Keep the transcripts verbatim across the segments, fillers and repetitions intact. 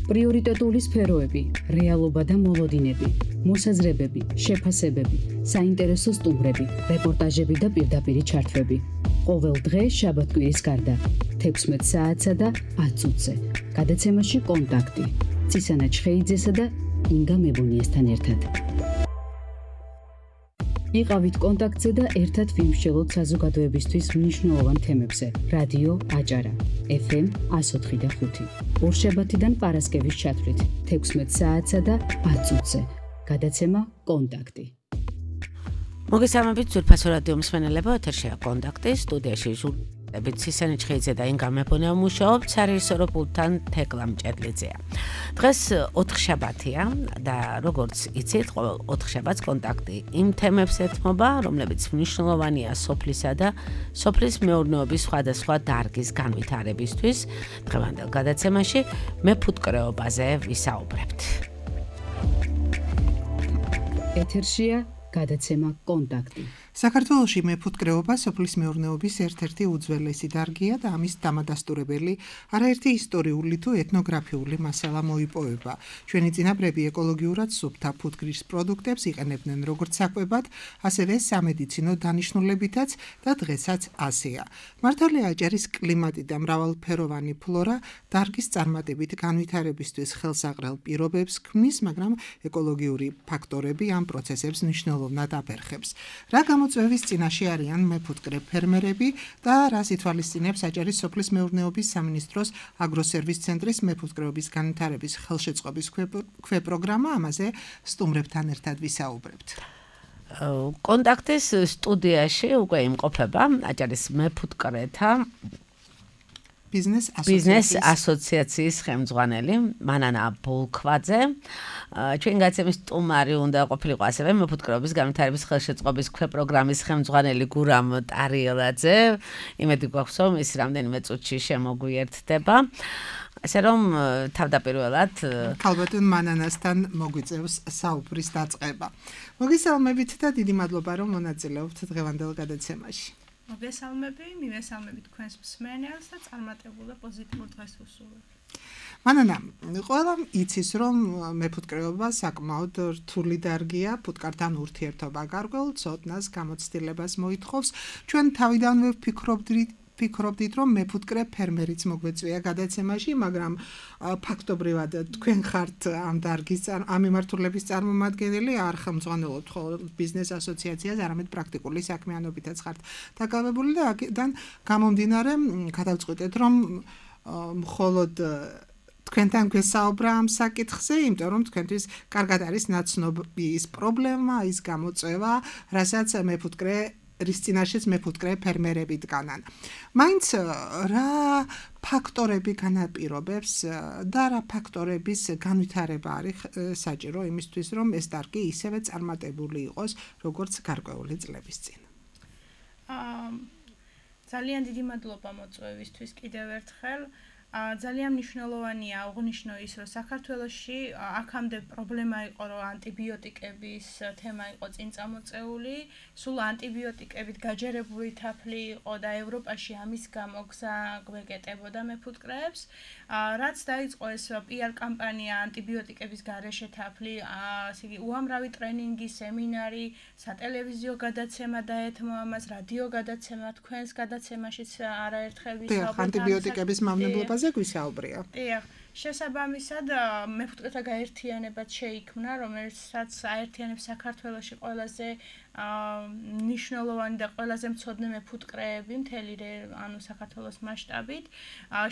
პრიორიტეტული სფეროები, რეალობა და მოლოდინები, მოსაზრებები, შეფასებები, საინტერესო სტუმრები, რეპორტაჟები და პირდაპირი ჩართვები. ყოველ დღე შაბათ-კვირის გარდა, თექვსმეტ საათსა და ათ წუთზე. გადაცემაში კონტაქტი. წისანა ჩხეიძესა და ინგა მებუნიესთან ერთად. იყავით კონტაქტზე და ერთად ვიმსჯელოთ საზოგადოებისთვის მნიშვნელოვან თემებზე. რადიო აჭარა, ეფ ემ εκατო ოთხი და ხუთი. ორშაბათიდან პარასკევის ჩათვლით, თექვსმეტ საათსა და ათ წუთზე. გადაცემა კონტაქტი. მოგესალმებით ძვირფასო რადიო მსმენელებო, ეთერშია კონტაქტი, სტუდიაში ჟურნალისტები ცისანი ჩხეიძე და ინგა მებუნია მუშაობთ, საერთაშორისო პულტთან თეკლა მჭედლიძეა. დღეს ოთხშაბათია და როგორც იცით, ყოველ ოთხშაბათს კონტაქტი იმ თემებს ეთმობა, რომლებიც მნიშვნელოვანია სოფლისა და სოფლის მეურნეობის სხვადასხვა დარგის განვითარებისთვის. დღევანდელ გადაცემაში მეფუტკრეობაზე ვისაუბრებთ. ეთერშია გადაცემა კონტაქტი. საქართველოში მეფუტკრეობა სოფლის მეურნეობის ერთ-ერთი უძველესი დარგია და ამის დამადასტურებელი არაერთი ისტორიული თუ ეთნოგრაფიული მასალა მოიპოვება. ჩვენი წინაპრები ეკოლოგიურად სუფთა ფუტკრის პროდუქტებს იყენებდნენ როგორც საკვებად, ასევე სამედიცინო დანიშნულებითაც და დღესაც ასეა. მართალია აჭარის კლიმატი და მრავალფეროვანი ფლორა დარგის წარმატებით განვითარებისთვის ხელსაყრელ პირობებს ქმნის, მაგრამ ეკოლოგიური ფაქტორები ამ პროცესებს მნიშვნელოვნად აფერხებს. რა გამოწვევის წინაშე არიან მეფუტკრე ფერმერები და რას ითვალისწინებს აჭარის სოფლის მეურნეობის სამინისტროს აგროსერვის ცენტრის მეფუტკრეობის განვითარების ხელშეწყობის ქვეპროგრამა, ამაზე სტუმრებთან ერთად ვისაუბრებთ. კონტაქტის სტუდიაში უკვე იმყოფება აჭარის მეფუტკრეთა ბიზნეს ასოციაციის ხელმძღვანელი მანანა ბოლქვაძე. ჩვენ გაცემის სტუმარი უნდა ყოფილიყო ასევე მეფუტკრეობის განვითარების ხელშეწყობის ქვეპროგრამის ხელმძღვანელი გურამ ტარიელაძე. იმედი გვაქვს, რომ ის რამდენიმე წუთში შემოგვიერთდება. ასე რომ თავდაპირველად ქალბატონ მანანასთან მოგვიწევს საუბრის დაწყება. მოგესალმებით და დიდი მადლობა, რომ მონაწილეობთ დღევანდელ გადაცემაში. მოგესალმები, მივესალმებით თქვენს მსმენელს და წარმატებულ და პოზიტიურ დღეს ვუსურვებ. მანანა, ყველამ იცის, რომ მეფუტკრეობა საკმაოდ რთული დარგია, ფუტკართან ურთიერთობა გარკვეულ ცოდნას, გამოცდილებას მოითხოვს. ჩვენ თავიდანვე ვფიქრობდით ფიქრობდით, რომ მეფუტკრე ფერმერიც მოგვეწვია გადაცემაში, მაგრამ ფაქტობრივად თქვენ ხართ ამ დარგის ამ მიმართულების წარმომადგენელი, არ ხელმძღვანელობთ მხოლოდ ბიზნეს ასოციაციას, არამედ პრაქტიკული საქმიანობითაც ხართ დაკავებული და აქედან გამომდინარე გადავწყვიტეთ, რომ მხოლოდ თქვენთან გვესაუბრა ამ საკითხზე, იმიტომ რომ თქვენთვის კარგად არის ნაცნობი ის პრობლემა, ის გამოწვევა, რასაც მეფუტკრე რის წინაშეც მეფუტკრე ფერმერები დგანან. მაინც რა ფაქტორები განაპირობებს და რა ფაქტორების განვითარება არის საჭირო იმისთვის, რომ ეს დარგი ისევე წარმატებული იყოს, როგორც გარკვეული წლების წინ. ძალიან დიდი მადლობა მოწვევისთვის კიდევ ერთხელ. ძალიან მნიშვნელოვანია აღნიშნო ის, რომ საქართველოში აქამდე პრობლემა იყო, რომ ანტიბიოტიკების თემა იყო წინ წამოწეული, სულ ანტიბიოტიკებით გაჯერებული თაფლი იყო და ევროპაში ამის გამო გზა გვეკეტებოდა მეფუტკრეებს. რაც დაიწყო ეს პი არ კამპანია ანტიბიოტიკების გარეშე თაფლი, ასე იგი უამრავი ტრენინგი, სემინარი, სატელევიზიო გადაცემა დაეთმო ამას, რადიო გადაცემა, თქვენს გადაცემაშიც არაერთხელ ვისაუბრეთ ანტიბიოტიკების მავნებლობა გვისაუბრია. დიახ, შესაბამისად მეფუტკრეთა გაერთიანებაც შეიქმნა, რომელსაც აერთიანებს საქართველოში ყველაზე მნიშვნელოვანი და ყველაზე მცოდნე მეფუტკრეები მთელი ანუ საქართველოს მასშტაბით.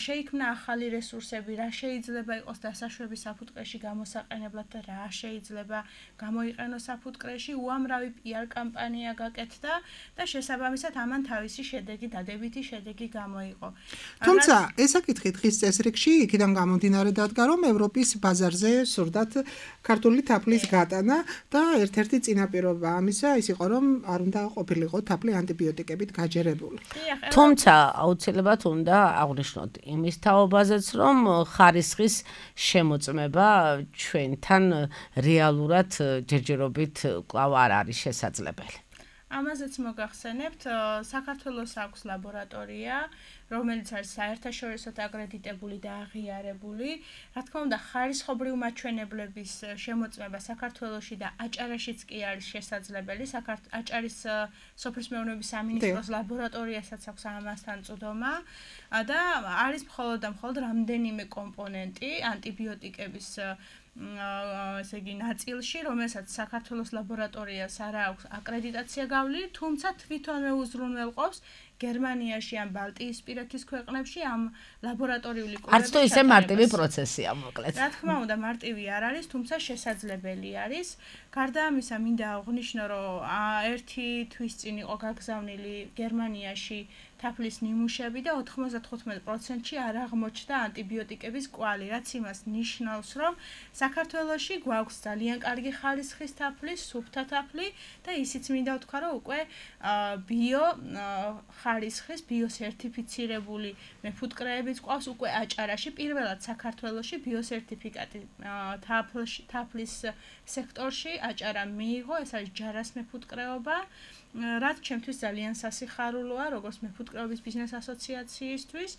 შეიქმნა ახალი რესურსები, რა შეიძლება იყოს დასაშვები საფუტკრეში გამოსაყენებლად და რა შეიძლება გამოიყენოს საფუტკრეში. უამრავი პი არ კამპანია გაკეთდა და შესაბამისად ამან თავისი შედეგი, დადებითი შედეგი გამოიყო. თუმცა ეს საკითხი დღის წესრიგში იქიდან გამომდინარე დადგა, რომ ევროპის ბაზარზე სურდათ ქართული თაფლის გატანა და ერთ-ერთი წინაპირობა ამისა ის იყო, რომ არ უნდა ყოფილიყო თაფლი ანტიბიოტიკებით გაჯერებული. თუმცა აუცილებლად უნდა აღვნიშნოთ იმის თაობაზეც, რომ ხარისხის შემოწმება ჩვენთან რეალურად ჯერჯერობით კვლავ არ არის შესაძლებელი. ამაზეც მოგახსენებთ, საქართველოს აქვს ლაბორატორია, რომელიც არის საერთაშორისოდ აკრედიტებული და აღიარებული. Რა თქმა უნდა, ხარისხობრივ მაჩვენებლების შემოწმება საქართველოში და აჭარაშიც კი არის შესაძლებელი. აჭარის სოფლის მეურნეობის სამინისტროს ლაბორატორიასაც აქვს ამასთან წვდომა და არის მხოლოდ და მხოლოდ რამდენიმე კომპონენტი ანტიბიოტიკების ესე იგი ნაწილში, რომელსაც საქართველოს ლაბორატორიას არ აქვს აკრედიტაცია გავლილი, თუმცა თვითონვე უზრუნველყოფს გერმანიაში ან ბალტიისპირეთის ქვეყნებში ამ ლაბორატორიული კვლევების არც თუ ისე მარტივი პროცესია მოკლედ. რა თქმა უნდა, მარტივი არ არის, თუმცა შესაძლებელი არის. გარდა ამისა, მინდა აღვნიშნო, რომ ერთი თვის წინ იყო გაგზავნილი გერმანიაში თაფლის ნიმუშები და ოთხმოცდათხუთმეტ პროცენტში არ აღმოჩნდა ანტიბიოტიკების კვალი, რაც იმას ნიშნავს, რომ საქართველოში გვაქვს ძალიან კარგი ხარისხის თაფლი, სუფთა თაფლი და ისიც მინდა ვთქვა, რომ უკვე ბიო ხარისხის ბიოსერტიფიცირებული მეფუტკრეებიც ყავს უკვე აჭარაში, პირველად საქართველოში ბიოსერტიფიკატი თაფლის სექტორში აჭარა მიიღო, ეს არის ჯარას მეფუტკრეობა. რაც ჩემთვის ძალიან სასიხარულოა, როგორც მეფუტკრეობის ბიზნეს ასოციაციისთვის.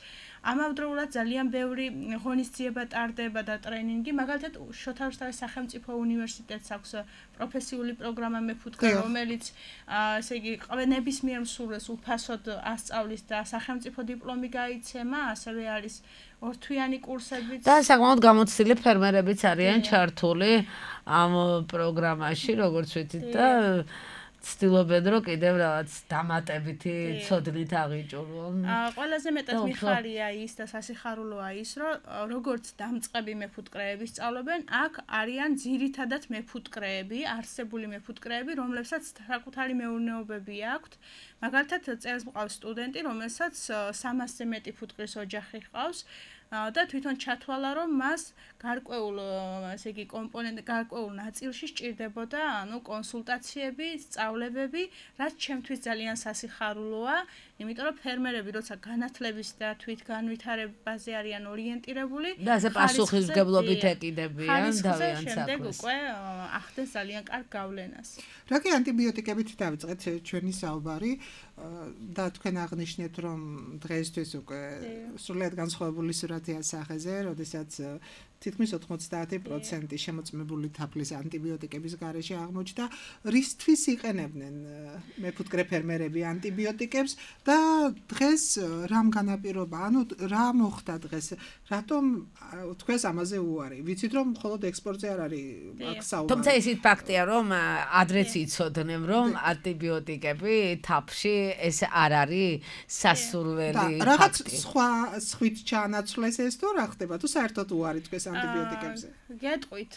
ამავდროულად ძალიან ბევრი ღონისძიება ტარდება და ტრენინგი, მაგალითად შოთა რუსთავის სახელმწიფო უნივერსიტეტს აქვს პროფესიული პროგრამა მეფუტკრე, რომელიც ესე იგი ნებისმიერ მსურველს უფასოდ ასწავლის და სახელმწიფო დიპლომი გაიცემა, ასევე არის ორთვიანი კურსებიც. და საკმაოდ გამოცდილი ფერმერებიც არიან ჩართული ამ პროგრამაში, როგორც ვიცით და ცდილობენ რომ კიდევ რაღაც დამატებითი ცოდნით აღიჭურონ. ყველაზე მეტად მიხარია ის და სასიხარულოა ის, რომ როგორც დამწყები მეფუტკრეები სწავლობენ, აქ არიან ძირითადად მეფუტკრეები, არსებული მეფუტკრეები, რომლებსაც საკუთარი მეურნეობები აქვთ. მაგალითად, წელს მყავს სტუდენტი, რომელსაც სამასზე მეტი ფუტკრის ოჯახი ჰყავს. და თვითონ ჩათვალა, რომ მას გარკვეულ, ესე იგი, კომპონენტ, გარკვეულ ნაწილში სჭირდებოდა, ანუ კონსულტაციები, სწავლებები, რაც ჩემთვის ძალიან სასიხარულოა, იმიტომ რომ ფერმერები, როცა განათლების და თვითგანვითარებაზე არიან ორიენტირებული, და ასე პასუხისმგებლობით ეკიდებიან დავიან საქმეს. შემდეგ უკვე ახდენს ძალიან კარგ გავლენას. რა კი ანტიბიოტიკებით დავიწყეთ ჩვენი საუბარი და თქვენ აღნიშნეთ, რომ დღეისთვის უკვე სრულიად განსხვავებული სურათია სახეზე, როდესაც თითქმის ოთხმოცდაათი პროცენტი შემოწმებული თაფლის ანტიბიოტიკების გარეშე აღმოჩნდა. რისთვის იყენებდნენ მეფუტკრე ფერმერები ანტიბიოტიკებს და დღეს რამ განაპირობა? ანუ რა მოხდა დღეს? რატომ თქვენს ამაზე უარი? ვიცით რომ მხოლოდ ექსპორტზე არ არის აქ საუბარი. თუმცა ისიც ფაქტია, რომ ადრეც იცოდნენ, რომ ანტიბიოტიკები თაფში ეს არ არის სასურველი ფაქტი. რაღაც სხვა სხვით ჩაანაცვლეს ეს თუ რა ხდება? თუ საერთოდ უარი თქვენს ანტიბიოტიკებზე. გეტყვით.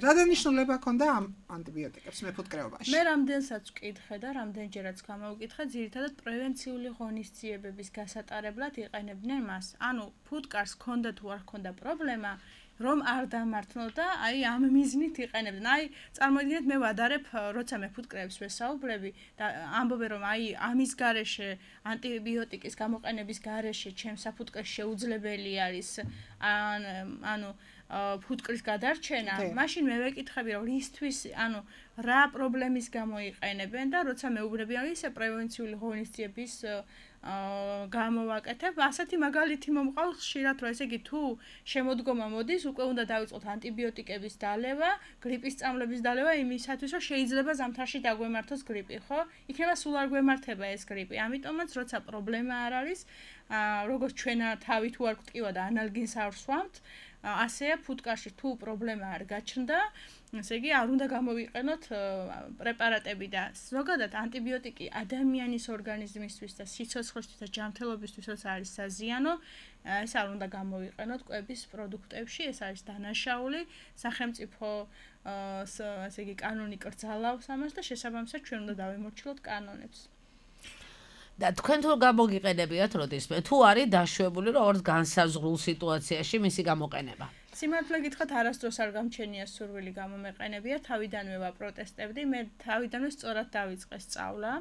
რა დანიშნულება ჰქონდა ამ ანტიბიოტიკებს მეფუტკრეობაში? მე რამდენსაც ვკითხე და რამდენჯერაც გამოვკითხე, ძირითადად პრევენციული ღონისძიებების გასატარებლად იყენებდნენ მას. ანუ ფუტკარს ჰქონდა თუ არ ჰქონდა პრობლემა, რომ არ დამართნო და აი ამ მიზნით იყენებდნენ. აი წარმოიდგინეთ, მე ვადარებ, როცა მეფუტკრეებს ვესაუბრები და ამბობენ, რომ აი ამის გარეშე ანტიბიოტიკის გამოყენების გარეშე ჩემს საფუტკრეს შეუძლებელი არის ანუ ფუტკრის გადარჩენა, მაშინ მე ვეკითხები, რომ რისთვის, ანუ რა პრობლემის გამო იყენებენ და როცა მეუბნები, რომ ისე პრევენციული ღონისძიების გამოვაკეთებ, ასეთი მაგალითი მომყავს ხშირად, რომ ესე იგი თუ შემოდგომა მოდის, უკვე უნდა დავიწყოთ ანტიბიოტიკების დალევა, გრიპის წამლების დალევა იმისათვის, რომ შეიძლება ზამთარში დაგვემართოს გრიპი, ხო? იქნება სულ არ გვემართება ეს გრიპი. ამიტომაც როცა პრობლემა არ არის, როგორც ჩვენ თავი თუ არ გვტკივა და ანალგინს არ ვსვამთ, ასეა ფუტკარში თუ პრობლემა არ გაჩნდა, ესე იგი არ უნდა გამოვიყენოთ პრეპარატები და ზოგადად ანტიბიოტიკი ადამიანის ორგანიზმისთვის და სიცოცხლისთვის და ჯანმრთელობისთვის როცა არის საზიანო, ეს არ უნდა გამოვიყენოთ კვების პროდუქტებში, ეს არის დანაშაული, სახელმწიფო ესე იგი კანონი კრძალავს ამას და შესაბამისად ჩვენ უნდა დავემორჩილოთ კანონებს. და თქვენ თუ გამოგიყენებიათ როდისმე თუ არის დაშვებული რომ ორ განსაზღვრულ სიტუაციაში მისი გამოყენება? სიმართლე გითხრათ, არასდროს არ გამჩენია სურვილი გამომეყენებია, თავიდანვე ვაპროტესტებდი, მე თავიდანვე სწორად დავიწყე სწავლა,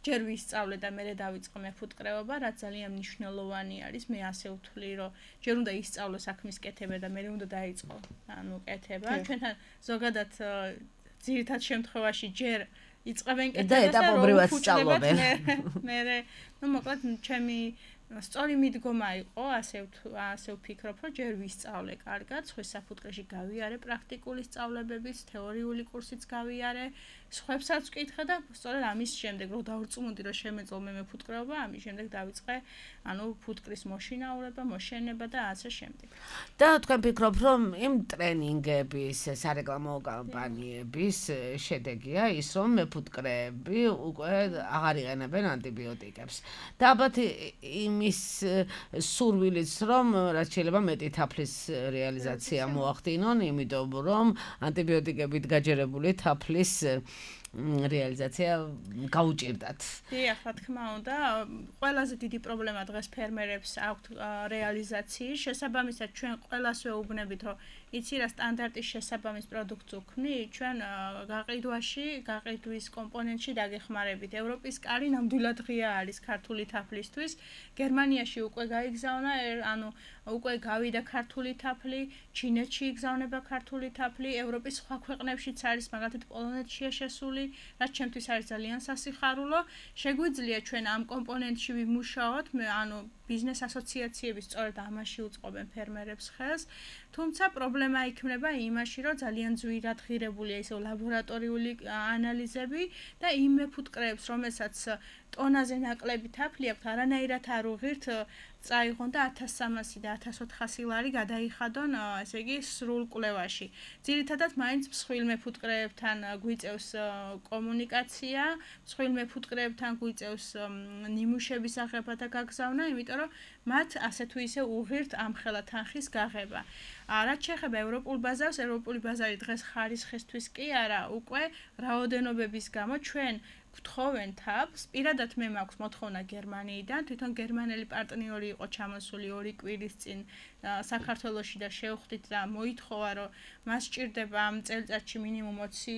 ჯერ ვისწავლე და მერე დავიწყე მეფუტკრეობა, რაც ძალიან მნიშვნელოვანი არის, მე ასე ვთვლი, რომ ჯერ უნდა ისწავლო საქმის კეთება და მერე უნდა დაიწყო, ანუ კეთება. ჩვენთან ზოგადად ძირითად შემთხვევაში ჯერ იწყებენ კეთებას და ეტაპობრივად სწავლობენ. მე ნუ მოკლედ ჩემი სწორი მიდგომა იყო, ასე ასე ვფიქრობ, რომ ჯერ ვისწავლე კარგად, სხვის საფუძვლში გავიარე პრაქტიკული სწავლებების, თეორიული კურსიც გავიარე, სხვებსაც ვკითხე და სწორედ ამის შემდეგ რომ დავრწმუნდი, რომ შემეძლო მე მეფუტკრეობა, ამის შემდეგ დავიწყე, ანუ ფუტკრის მოშინაურება, მოშენება და ასე შემდეგ. და თქვენ ფიქრობ, რომ იმ ტრენინგების, სარეკლამო კამპანიების შედეგია ის, რომ მეფუტკრეები უკვე აღარ იყენებენ ანტიბიოტიკებს. და ალბათ იმის სურვილიც, რომ რაც შეიძლება მეტი თაფლის რეალიზაცია მოახდინონ, იმიტომ რომ ანტიბიოტიკებით გაჯერებული თაფლის რეალიზაცია გაუჭირდათ. დიახ, რა თქმა უნდა, ყველაზე დიდი პრობლემა დღეს ფერმერებს აქვთ რეალიზაციის შესაბამისად ჩვენ ყველას ვეუბნებით, რომ იცი რა სტანდარტის შესაბამის პროდუქტს ვქნი, ჩვენ გაყიდვაში, გაყიდვის კომპონენტში დაგეხმარებით. ევროპის კარი ნამდვილად ღია არის ქართული თაფლისთვის. გერმანიაში უკვე გაიგზავნა, ანუ უკვე გავიდა ქართული თაფლი, ჩინეთში იგზავნება ქართული თაფლი, ევროპის სხვა ქვეყნებშიც არის, მაგალითად პოლონეთშია შესული, რაც ჩემთვის არის ძალიან სასიხარულო. შეგვიძლია ჩვენ ამ კომპონენტში ვიმუშაოთ, ანუ ბიზნეს ასოციაციები სწორედ ამაში უწყობენ ფერმერებს ხელს. თუმცა პრობლემა იქნება იმაში, რომ ძალიან ძვირად ღირებულია ისე ლაბორატორიული ანალიზები და იმ მეფუტკრეებს, რომელსაც ტონაზე ნაკლები თაფლი აქვთ, არანაირად არ უღირთ წაიღონ და ათას სამასი და ათას ოთხასი ლარი გადაიხადონ, ესე იგი, სრულ კვლევაში. ძირითადად მაინც მსხვილ მეფუტკრეებთან გვიწევს კომუნიკაცია, მსხვილ მეფუტკრეებთან გვიწევს ნიმუშების აღება და გაგზავნა, იმიტომ რომ მათ ასე თუ ისე უღირთ ამხელა თანხის გაღება. რაც შეეხება ევროპულ ბაზარს, ევროპული ბაზარი დღეს ხარისხისთვის კი არა, უკვე რაოდენობების გამო ჩვენ გთხოვენ თაფლს, პირადად მე მაქვს მოთხოვნა გერმანიიდან, თვითონ გერმანელი პარტნიორი იყო ჩამოსული ორი კვირის წინ საქართველოში და შევხვდით და მოითხოვა, რომ მას სჭირდება ამ წელიწადში მინიმუმ ოცი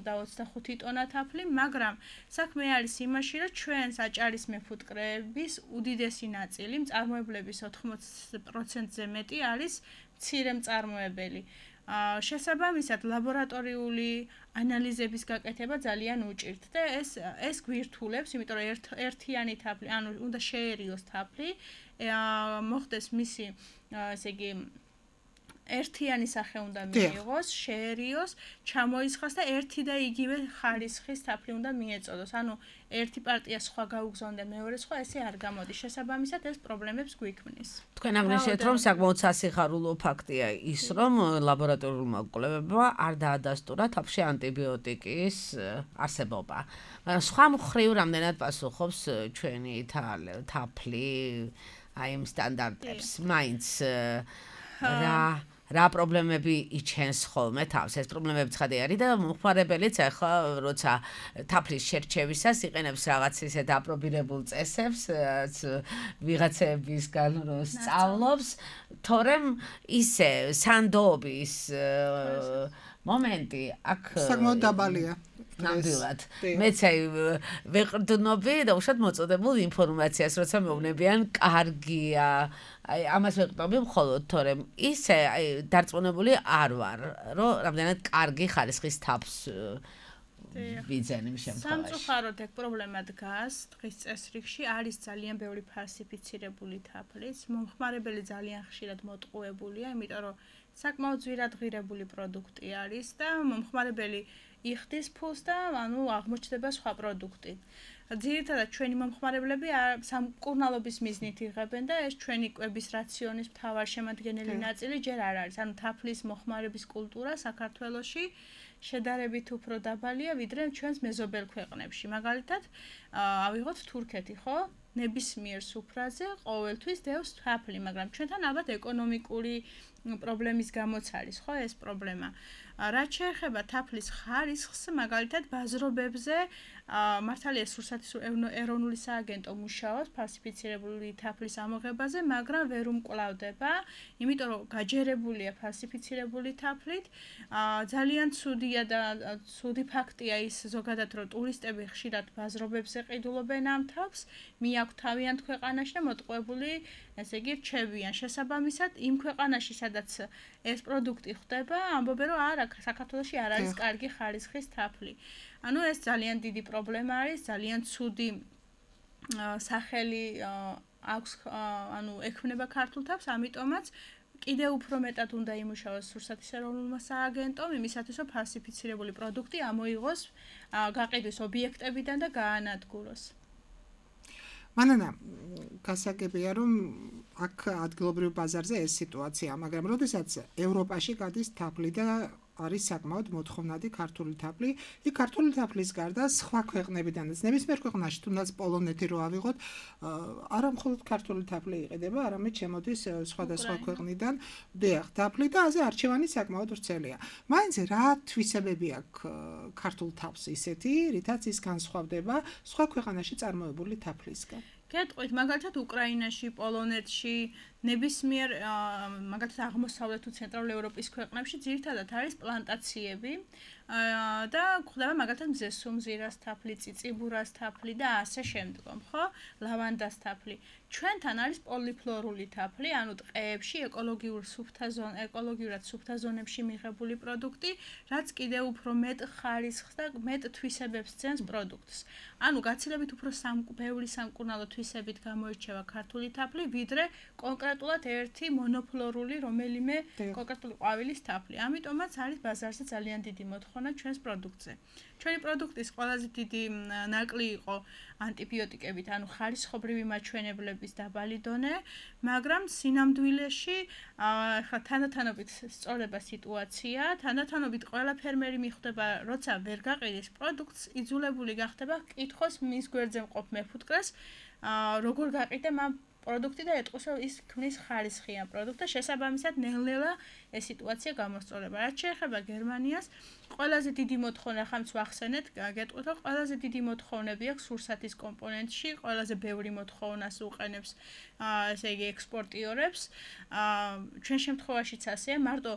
და ოცდახუთი ტონა თაფლი, მაგრამ საქმე არის იმაში, რომ ჩვენ საჭალის მეფუტკრეების უდიდესი ნაწილი, მწარმოებლების ოთხმოცი პროცენტზე მეტი არის მცირე მწარმოებელი. შესაბამისად ლაბორატორიული ანალიზების გაკეთება ძალიან უჭირთ და ეს ეს გვირთულებს, იმიტომ რომ ერთ ერთიანი თაფლი, ანუ უნდა შეერიოს თაფლი, მოხდეს მისი, ესე იგი, ერთიანი სახე უნდა მიიღოს, შეერიოს, ჩამოისხას და ერთი და იგივე ხარისხის თაფლი უნდა მიეწოდოს. ანუ ერთი პარტია სხვა გაუგზავნდა, მეორე სხვა, ესე არ გამოდის. შესაბამისად ეს პრობლემებს გვიქმნის. თქვენ აღნიშნეთ, რომ საკმაოდ სასიხარულო ფაქტია ის, რომ ლაბორატორიულმა კვლევებმა არ დაადასტურა თაფლში ანტიბიოტიკის არსებობა. მაგრამ სხვა მხრივ რამდენად პასუხობს ჩვენი თაფლი აი იმ სტანდარტებს, მაინც რა რა პრობლემები იჩენს ხოლმე თავს. ეს პრობლემები ცხადი არის და მომხმარებელიც ახლა როცა თაფლის შერჩევისას იყენებს რაღაც ისე დაპრობირებულ წესებს, ვიღაცებისგან რო სწავლობს, თორემ ისე სანდობის მომენტი აქ საკმაოდ დაბალია. ნამდვილად. მეც აი ვეყრდნობი და უშად მოწოდებულ ინფორმაციას, როცა მეუბნებიან კარგია. აი ამას ვეყრდნობი მხოლოდ, თორემ ისე აი დარწმუნებული არ ვარ, რომ რამდენად კარგი ხარისხის თაფლს ვიძენ იმ შემთხვევაში. სამწუხაროდ ეგ პრობლემა დგას დღის წესრიგში, არის ძალიან ბევრი ფალსიფიცირებული თაფლიც, მომხმარებელი ძალიან ხშირად მოტყუებულია, იმიტომ რომ საკმაოდ ძვირად ღირებული პროდუქტი არის და მომხმარებელი იხდის ფულს და ანუ აღმოჩნდება სხვა პროდუქტი. ძირითადად ჩვენი მომხმარებლები სამკურნალობის მიზნით იღებენ და ეს ჩვენი კვების რაციონის მთავარ შემადგენელი ნაწილი ჯერ არ არის. ანუ თაფლის მოხმარების კულტურა საქართველოში შედარებით უფრო დაბალია, ვიდრე ჩვენს მეზობელ ქვეყნებში. მაგალითად, ავიღოთ თურქეთი, ხო? ნებისმიერ სუფრაზე ყოველთვის დევს თაფლი, მაგრამ ჩვენთან ალბათ ეკონომიკური პრობლემის გამოც არის, ხო, ეს პრობლემა. რაც შეეხება თაფლის ხარისხს, მაგალითად, ბაზრობებზე მართალია სურსათის ეროვნული სააგენტო მუშაობს ფალსიფიცირებული თაფლის ამოღებაზე, მაგრამ ვერ უმკლავდება, იმიტომ რომ გაჯერებულია ფალსიფიცირებული თაფლით. ძალიან ცუდია და ცუდი ფაქტია ის ზოგადად, რომ ტურისტები ხშირად ბაზრობებზე ყიდულობენ ამ თაფლს, მიაქვთ თავიანთ ქვეყანაში და მოტყუებული, ესე იგი, რჩებიან. შესაბამისად, იმ ქვეყანაში, სადაც ეს პროდუქტი ხდება, ამბობენ, რომ არა, საქართველოში არ არის კარგი ხარისხის თაფლი. ანუ ეს ძალიან დიდი პრობლემა არის, ძალიან ცუდი სახელი აქვს ანუ ექმნება ქართულ თავს, ამიტომაც კიდევ უფრო მეტად უნდა იმუშაოს რუსეთის ეროვნულმა სააგენტომ იმისათვის, რომ ფალსიფიცირებული პროდუქტი ამოიღოს გაყიდვის ობიექტებიდან და გაანადგუროს. მანანა, გასაგებია, რომ აქ ადგილობრივ ბაზარზე ეს სიტუაცია, მაგრამ როდესაც ევროპაში გადის თაფლი და არის საკმაოდ მოთხოვნადი ქართული თაფლი, იქ ქართული თაფლის გარდა სხვა ქვეყნებიდანაც, ნებისმიერ ქვეყანაში, თუნდაც პოლონეთი რო ავიღოთ, არა მხოლოდ ქართული თაფლი იყიდება, არამედ შემოდის სხვადასხვა ქვეყნიდან, დიახ, თაფლი და ასე არჩევანი საკმაოდ ვრცელია. მაინც რა თვისებები აქვს ქართულ თაფლს ისეთი, რითაც ის განსხვავდება სხვა ქვეყანაში წარმოებული თაფლისგან? გეტყვით, მაგალითად უკრაინაში, პოლონეთში, ნებისმიერ მაგალითად აღმოსავლეთ თუ ცენტრალურ ევროპის ქვეყნებში ძირითადად არის პლანტაციები და გვხვდება მაგალითად მზესუმზირას თაფლი, წიწიბურას თაფლი და ასე შემდგომ, ხო? ლავანდას თაფლი. ჩვენთან არის პოლიფლორული თაფლი, ანუ ტყეებში ეკოლოგიურ სუფთა ზონ, ეკოლოგიურად სუფთა ზონებში მიღებული პროდუქტი, რაც კიდევ უფრო მეტ ხარისხს და მეტ თვისებებს ძენს პროდუქტს. ანუ გაცილებით უფრო სამკურნალო სამკურნალო თვისებით გამოირჩევა ქართული თაფლი, ვიდრე კონკრეტულად ერთი მონოფლორული რომელიმე კონკრეტული ყვავილის თაფლი. ამიტომაც არის ბაზარზე ძალიან დიდი მოთხოვნა ჩვენს პროდუქტზე. ჩვენი პროდუქტის ყველაზე დიდი ნაკლი იყო ანტიბიოტიკებით, ანუ ხარისხობრივი მაჩვენებლების დაბალი დონე, მაგრამ სინამდვილეში ახლა თანდათანობით სწორდება სიტუაცია, თანდათანობით ყველა ფერმერი მიხვდება, როცა ვერ გაყიდის პროდუქტს, იძულებული გახდება კითხოს მის გვერდზე მყოფ მეფუტკრეს, როგორ გაყიდა ამ პროდუქტი და ეტყვის, რომ ის ქმნის ხარისხიან პროდუქტს და შესაბამისად ნელ-ნელა ეს სიტუაცია გამოსწორება. რაც შეეხება გერმანიას, ყველაზე დიდი მოთხოვნა ხამც ვახსენეთ, გეტყვით, რომ ყველაზე დიდი მოთხოვნები აქვს სურსათის კომპონენტში, ყველაზე ბევრი მოთხოვნას უყენებს, ესე იგი ექსპორტიორებს. ჩვენ შემთხვევაშიც ასეა, მარტო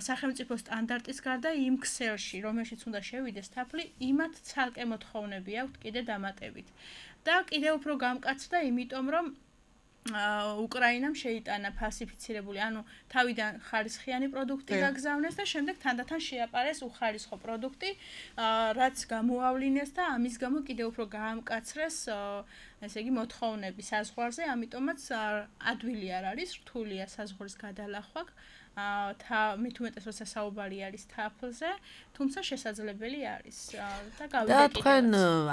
სახელმწიფო სტანდარტის გარდა იმ ქსელში, რომელშიც უნდა შევიდეს თაფლი, იმათ ცალკე მოთხოვნები აქვს კიდე დამატებით. და კიდევ უფრო გამკაცდა, იმიტომ რომ უკრაინამ შეიტანა ფალსიფიცირებული, ანუ თავიდან ხარისხიანი პროდუქტი გაგზავნეს და შემდეგ თანდათან შეაპარეს უხარისხო პროდუქტი, რაც გამოავლინეს და ამის გამო კიდევ უფრო გაამკაცრეს, ესე იგი, მოთხოვნები საზღვარზე, ამიტომაც ადვილი არ არის, რთულია საზღვრის გადალახვა. მით უმეტეს როცა საუბარი არის თაფლზე, თუმცა შესაძლებელი არის და გავიდე კიდევ. და თქვენ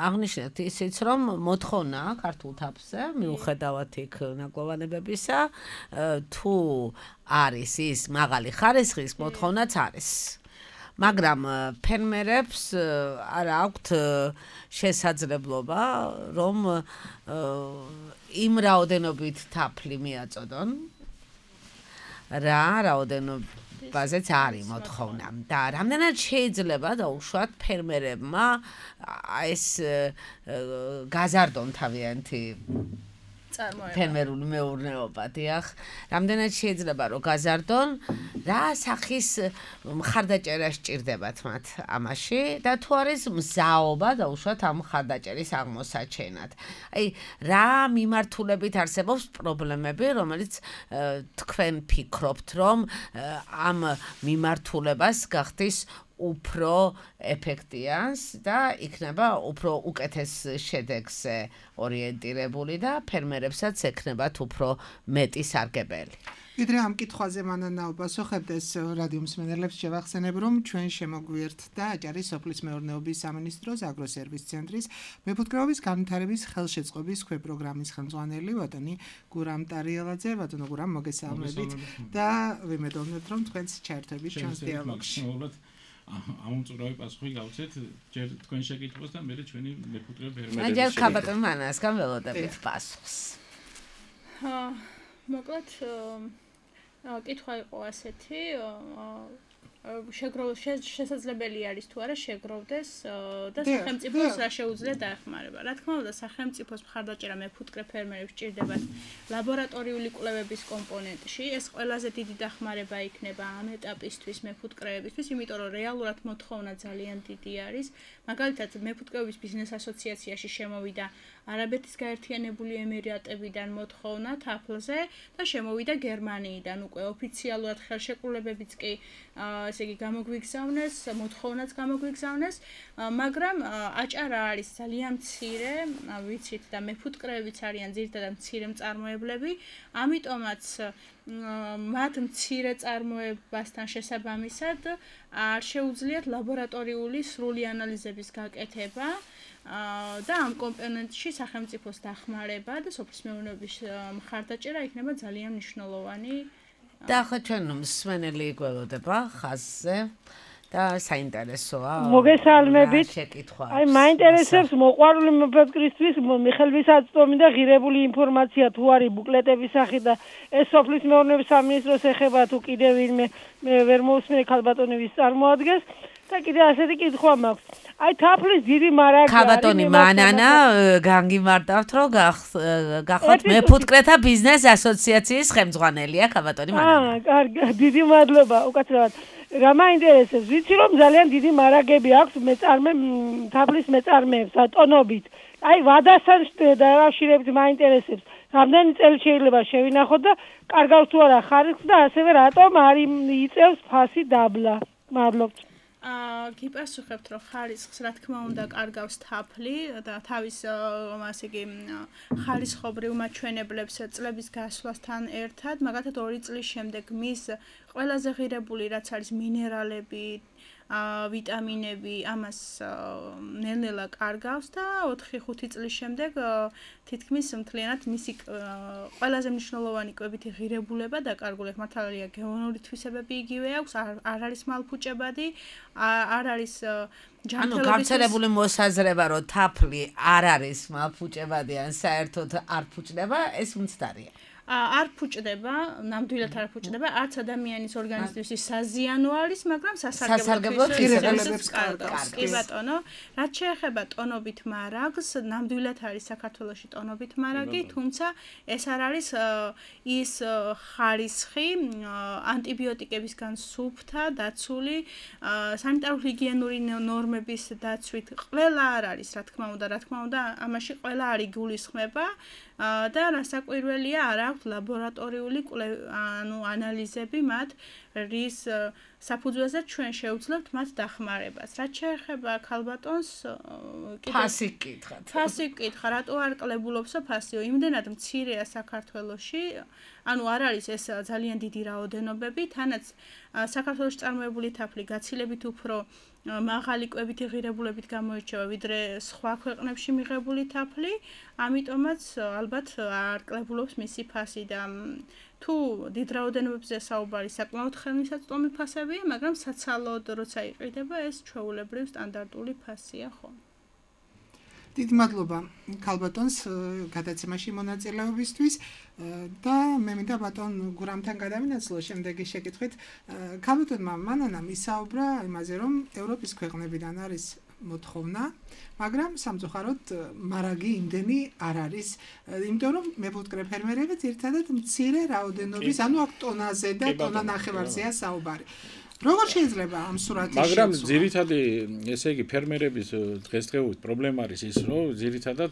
აღნიშნეთ ისიც, რომ მოთხოვნა ქართულ თაფლზე, მიუხედავად იქ ნაკლოვანებებისა, თუ არის ის მაღალი ხარისხის, მოთხოვნაც არის. მაგრამ ფერმერებს არ აქვთ შესაძლებლობა, რომ იმ რაოდენობით თაფლი მიაწოდონ. რა რაოდენობაზეც არის მოთხოვნა და რამდენად შეიძლება დაუშვათ ფერმერებმა ეს გაზარდონ თავიანთი ფერმერული მეურნეობა, დიახ, რამდენად შეიძლება რომ გაზარდონ, რა სახის მხარდაჭერა სჭირდებათ მათ ამაში და თუ არის მზაობა დაუშვათ ამ მხარდაჭერის აღმოსაჩენად. აი, რა მიმართულებით არსებობს პრობლემები, რომელიც თქვენ ფიქრობთ, რომ ამ მიმართულებას გახდის უფრო ეფექტიანს და იქნება უფრო უკეთეს შედეგზე ორიენტირებული და ფერმერებსაც ექნებათ უფრო მეტი სარგებელი. ვიდრე ამ კითხვაზე მანანა უპასუხებდეს რადიო მსმენელებს შევახსენებ, რომ ჩვენ შემოგვიერთდა აჭარის სოფლის მეურნეობის სამინისტროს აგროსერვის ცენტრის მეფუტკრეობის განვითარების ხელშეწყობის ქვეპროგრამის ხელმძღვანელი ბატონი გურამ ტარიელაძე. ბატონო გურამ, მოგესალმებით და ვიმედოვნებთ, რომ თქვენს ჩაერთვებით ჩვენს დიალოგში. ამ უწურავი პასუხი გავცეთ ჯერ თქვენ შეკითხვას და მე ჩვენი მეფუტკრე ფერმერები. აჯერ ქაბატონ მანასგან ველოდებით პასუხს. მოკლედ კითხვა იყო ასეთი, შეგროვ შესაძლებელი არის თუ არა შეგროვდეს და სახელმწიფოს რა შეუძლია დაეხმარება. რა თქმა უნდა, სახელმწიფოს მხარდაჭერა მეფუტკრე ფერმერებს სჭირდებათ ლაბორატორიული კვლევების კომპონენტში. ეს ყველაზე დიდი დახმარება იქნება ამ ეტაპისთვის მეფუტკრეებისთვის, იმიტომ რომ რეალურად მოთხოვნა ძალიან დიდი არის. მაგალითად, მეფუტკრეობის ბიზნეს ასოციაციაში შემოვიდა არაბეთის გაერთიანებული ემირატებიდან მოთხოვნა თაფლზე და შემოვიდა გერმანიიდან უკვე ოფიციალურად ხელშეკრულებებიც კი ესე იგი გამოგვიგზავნეს, მოთხოვნაც გამოგვიგზავნეს, მაგრამ აჭარა არის ძალიან მცირე, ვიცით და მეფუტკრეებიც არიან ძირითადად მცირე მწარმოებლები, ამიტომაც მათ მცირე წარმოებასთან შესაბამისად არ შეუძლიათ ლაბორატორიული სრული ანალიზების გაკეთება და ამ კომპონენტში სახელმწიფოს დახმარება და სოფლის მეურნეობის მხარდაჭერა იქნება ძალიან მნიშვნელოვანი. და ახლა ჩვენ მსმენელი გველოდება ხაზზე და საინტერესოა. მოგესალმებით. აი მაინტერესებს მოყვარული მეფუტკრისთვის მიხეილ ვისაცტომი და ღირებული ინფორმაცია თუ არის ბუკლეტების სახით და ეს სოფლის მეურნეობის სამინისტროს ეხება თუ კიდევ ვინმე მე ვერ მოусმინე ქალბატონი ვის წარმოადგენს და კიდე ასეთი კითხვა მაქვს. აი თაფლის დიდი მარაგი ქალბატონი მანანა განგიმარტავთ რომ გახოთ მეფუტკრეთა ბიზნეს ასოციაციის ხელმძღვანელია ქალბატონი მანანა. აა კარგი დიდი მადლობა უკაცრავად. რა მაინტერესებს ვიცი რომ ძალიან დიდი მარაგები აქვს მეწარმე თაფლის მეწარმეებს ტონობით. აი ვადასთან დაკავშირებით მაინტერესებს რამდენი წელი შეიძლება შევინახოთ და კარგავს თუ არა ხარისხს და ასევე რატომ არ იწევს ფასი დაბლა. მადლობთ. აა გიპასუხებთ რომ ხარისხს რა თქმა უნდა კარგავს თაფლი და თავის ასე იგი ხარისხობრივ მაჩვენებლებს წლების გასვლასთან ერთად, მაგალითად ორი წლის შემდეგ მის ყველაზე ღირებული რაც არის მინერალები, ვიტამინები, ამას ნელ-ნელა კარგავს და ოთხი ხუთი წლის შემდეგ თითქმის მთლიანად მისი ყველაზე მნიშვნელოვანი კვებითი ღირებულება დაკარგულია. მართალია გეონური თვისებები იგივე აქვს, არ არის მალფუჭებადი, არ არის ჯანმრთელობის ანუ გავრცელებული მოსაზრება რომ თაფლი არ არის მალფუჭებადი ან საერთოდ არ ფუჭდება, ეს მცდარია. არ ფუჭდება, ნამდვილად არ ფუჭდება, არც ადამიანის ორგანიზმისთვის საზიანო არის, მაგრამ სასარგებლო ღირებულებებს კარგავს. კი ბატონო, რაც შეეხება ტონობით მარაგს, ნამდვილად არის საქართველოში ტონობით მარაგი, თუმცა ეს არ არის ის ხარისხი ანტიბიოტიკებისგან სუფთა, დაცული, სანიტარულ-ჰიგიენური ნორმების დაცვით ყველა არ არის, რა თქმა უნდა, რა თქმა უნდა, ამაში ყველა არ იგულისხმება და რასაკვირველია არ აქვს ლაბორატორიული ანუ ანალიზები მათ რის საფუძველზე ჩვენ შევძლებთ მათ დახმარებას. რაც შეეხება ქალბატონს ფასი გკითხათ. ფასი გკითხა, რატო არ კლებულობსო ფასიო? იმდენად მცირეა საქართველოში, ანუ არ არის ეს ძალიან დიდი რაოდენობები, თანაც საქართველოში წარმოებული თაფლი გაცილებით უფრო მაღალი კვებითი ღირებულებით გამოირჩევა ვიდრე სხვა ქვეყნებში მიღებული თაფლი, ამიტომაც ალბათ არ კლებულობს მისი ფასი და თუ დიდ რაოდენობებზე საუბარი საკმაოდ ხელმისაწვდომი ფასებია, მაგრამ საცალოდ როცა იყიდება ეს ჩვეულებრივ სტანდარტული ფასია ხო. დიდი მადლობა ქალბატონს გადაცემაში მონაწილეობისთვის და მე მინდა ბატონ გურამთან გადავინაცვლო შემდეგი შეკითხვით. ქალბატონმა მანანამ ისაუბრა იმაზე, რომ ევროპის ქვეყნებიდან არის მოთხოვნა, მაგრამ სამწუხაროდ მარაგი იმდენი არ არის, იმიტომ რომ მეფუტკრე ფერმერები ძირითადად მცირე რაოდენობის, ანუ აქ ტონაზე და ტონა ნახევარზეა საუბარი. როგორ შეიძლება ამ სურათი შეცვლა? მაგრამ ძირითადი, ესე იგი, ფერმერების დღესდღეობით პრობლემა არის ის, რომ ძირითადად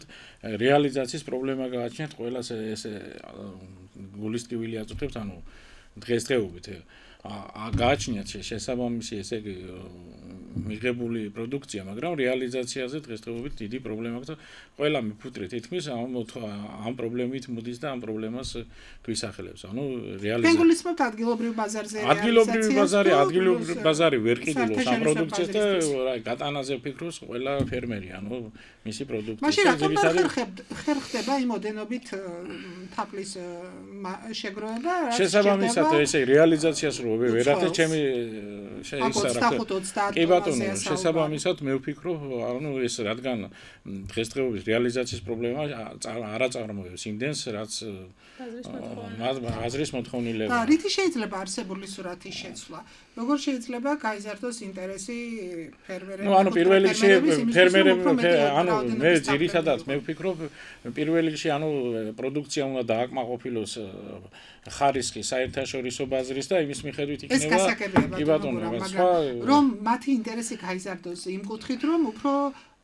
რეალიზაციის პრობლემა გააჩნიათ ყველას ესე გულისტივილი აწუხებს, ანუ დღესდღეობით გააჩნიათ შესაბამისი, ესე იგი, მიღებული პროდუქცია, მაგრამ რეალიზაციაზე დღესდღეობით დიდი პრობლემა აქვს და ყველა მეფუტკრე თითქმის ამ ამ პრობლემით მოდის და ამ პრობლემას გვისახელებს. ანუ რეალიზაცია. თქვენ გულისხმობთ ადგილობრივ ბაზარზე რეალიზაციას? ადგილობრივ ბაზარი, ადგილობრივ ბაზარი ვერ ყიდულობს ამ პროდუქციას და რა გატანაზე ფიქრობს ყველა ფერმერი, ანუ მისი პროდუქცია. მაშინ რატომ ხერ ხდება იმ ოდენობით თაფლის შეგროვება? შესაბამისად, ესე რეალიზაციას რო ვერახდე ჩემი შეისახება. კი ბატონო, შესაბამისად მე ვფიქრობ, ანუ ეს რადგან დღესდღეობის რეალიზაციის პრობლემა არ აწარმოებს იმდენს, რაც აზრის მოთხოვნილება. და რითი შეიძლება არსებული სურათის შეცვლა? როგორ შეიძლება გაიზარდოს ინტერესი ფერმერების? ნუ ანუ პირველ რიგში ფერმერები, ანუ მე ძირითადად მე ვფიქრობ, პირველ რიგში ანუ პროდუქცია უნდა დააკმაყოფილოს ხარისხი საერთაშორისო ბაზრის და იმის მიხედვით იქნება კი ბატონო, მაგრამ რომ მათი ინტერესი გაიზარდოს იმ კუთხით, რომ უფრო